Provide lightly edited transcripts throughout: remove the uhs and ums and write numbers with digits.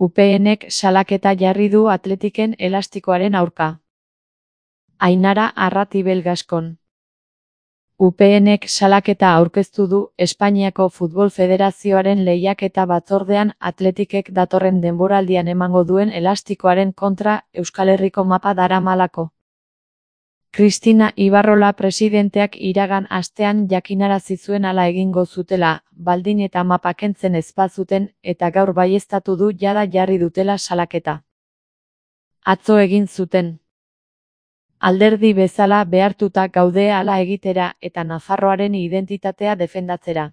UPNek salaketa jarri du Atletiken elastikoaren aurka. Ainara Arratibel Gaskon. UPNek salaketa aurkeztu du Espainiako Futbol Federazioaren lehiaketa batzordean Atletikek datorren denboraldian emango duen elastikoaren kontra Euskal Herriko mapa daramalako. Cristina Ibarrola presidenteak iragan astean jakinarazi zuen hala egingo zutela, baldin eta mapa kentzen ez bazuten, eta gaur baieztatu du jada jarri dutela salaketa. Atzo egin zuten. Alderdi bezala behartuta gaude hala egitera eta Nafarroaren identitatea defendatzera.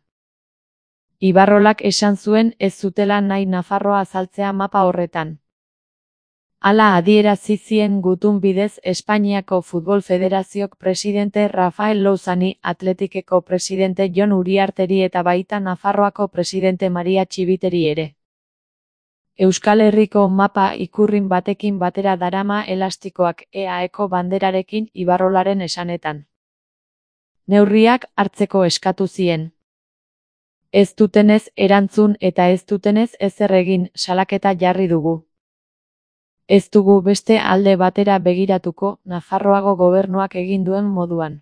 Ibarrolak esan zuen ez zutela nahi Nafarroa azaltzea mapa horretan. Hala adierazi zien gutun bidez Espainiako Futbol Federaziok presidente Rafael Louzani, Atletikeko presidente Jon Uriarteri eta baita Nafarroako presidente Maria Txibiteri ere. Euskal Herriko mapa ikurrin batekin batera darama elastikoak EAEko banderarekin Ibarrolaren esanetan. Neurriak hartzeko eskatu zien. Ez dutenez erantzun eta ez dutenez ezer egin, salaketa jarri dugu. Ez dugu beste alde batera begiratuko, Nafarroago gobernuak egin duen moduan.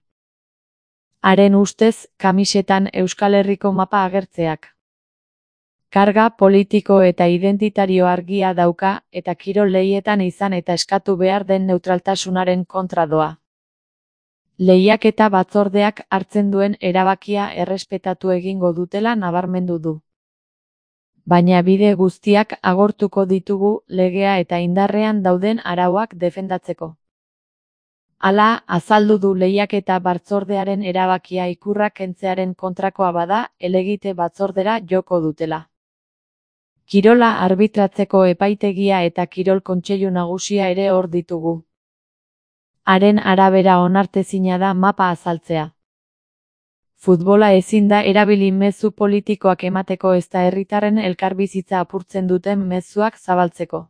Haren ustez, kamisetan Euskal Herriko mapa agertzeak. Karga politiko eta identitario argia dauka, eta kirol lehietan izan eta eskatu behar den neutraltasunaren kontra doa. Lehiaketa batzordeak hartzen duen erabakia errespetatu egingo dutela nabarmendu du. Baina bide guztiak agortuko ditugu legea eta indarrean dauden arauak defendatzeko. Hala, azaldu du lehiaketa batzordearen erabakia ikurra kentzearen kontrakoa bada, helegite batzordera joko dutela. Kirola arbitratzeko epaitegia eta kirol kontseilu nagusia ere hor ditugu. Haren arabera onartezina da mapa azaltzea. Futbola ezin da erabili mezu politikoak emateko ezta herritarren elkarbizitza apurtzen duten mezuak zabaltzeko.